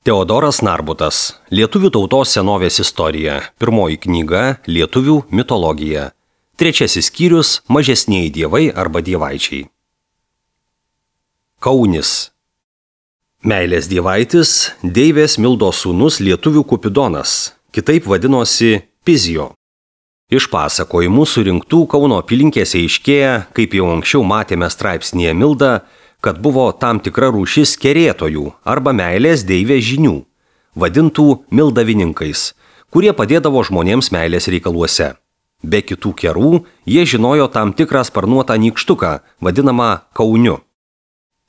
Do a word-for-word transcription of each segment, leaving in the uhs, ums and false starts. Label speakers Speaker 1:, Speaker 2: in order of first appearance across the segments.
Speaker 1: Teodoras Narbutas. Lietuvių tautos senovės istorija. Pirmoji knyga – Lietuvių mitologija. Trečiasis skyrius – Mažesnieji dievai arba dievaičiai. Kaunis. Meilės dievaitis – deivės Mildos sūnus lietuvių Kupidonas, kitaip vadinosi Pizijo. Iš pasakojimų surinktų Kauno apylinkėse aiškėja, kaip jau anksčiau matėme straipsnyje Milda, kad buvo tam tikra rūšis kerėtojų arba meilės deivės žinių, vadintų mildavininkais, kurie padėdavo žmonėms meilės reikaluose. Be kitų kerų, jie žinojo tam tikrą sparnuotą nykštuką, vadinamą kauniu.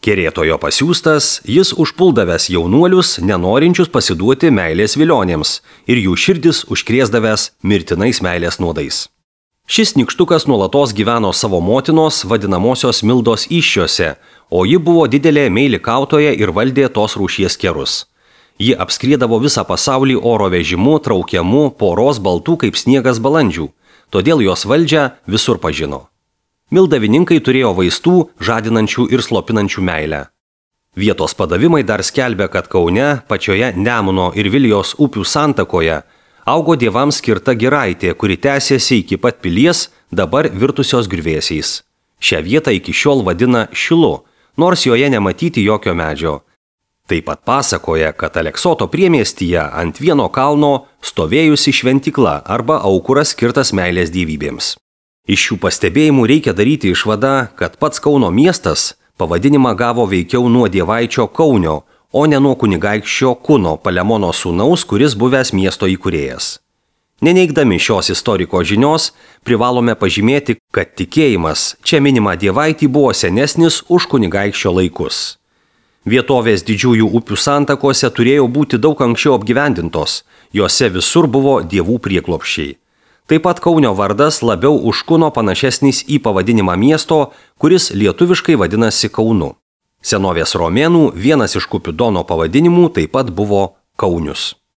Speaker 1: Kerėtojo pasiųstas, jis užpuldavęs jaunuolius, nenorinčius pasiduoti meilės vilionėms ir jų širdis užkrėsdavęs mirtinais meilės nuodais. Šis nykštukas nuolatos gyveno savo motinos vadinamosios Mildos įsčiose, o ji buvo didelė meilikautoja ir valdė tos rūšies kerus. Ji apskriedavo visą pasaulį oro vežimu, traukiamu poros baltų kaip sniegas balandžių, todėl jos valdžią visur pažino. Mildavininkai turėjo vaistų, žadinančių ir slopinančių meilę. Vietos padavimai dar skelbia, kad Kaune, pačioje Nemuno ir Vilijos upių santakoje, augo dievams skirta giraitė, kuri tęsėsi iki pat pilies, dabar virtusios griuvėsiais. Šią vietą iki šiol vadina Šilu, nors joje nematyti jokio medžio. Taip pat pasakoja, kad Aleksoto priemiestyje ant vieno kalno stovėjusi šventykla arba aukuras skirtas meilės dievybėms. Iš šių pastebėjimų reikia daryti išvadą, kad pats Kauno miestas pavadinimą gavo veikiau nuo dievaičio Kaunio, o ne nuo kunigaikščio Kuno Palemono sūnaus, kuris buvęs miesto įkūrėjas. Neneigdami šios istoriko žinios, privalome pažymėti, kad tikėjimas čia minima dievaitį buvo senesnis už kunigaikščio laikus. Vietovės didžiųjų upių santakose turėjo būti daug anksčiau apgyvendintos, jose visur buvo dievų prieglobsčiai. Taip pat Kaunio vardas labiau už Kuno panašesnis į pavadinimą miesto, kuris lietuviškai vadinasi Kaunu. Senovės romėnų vienas iš Kupidono pavadinimų taip pat buvo Kaunius.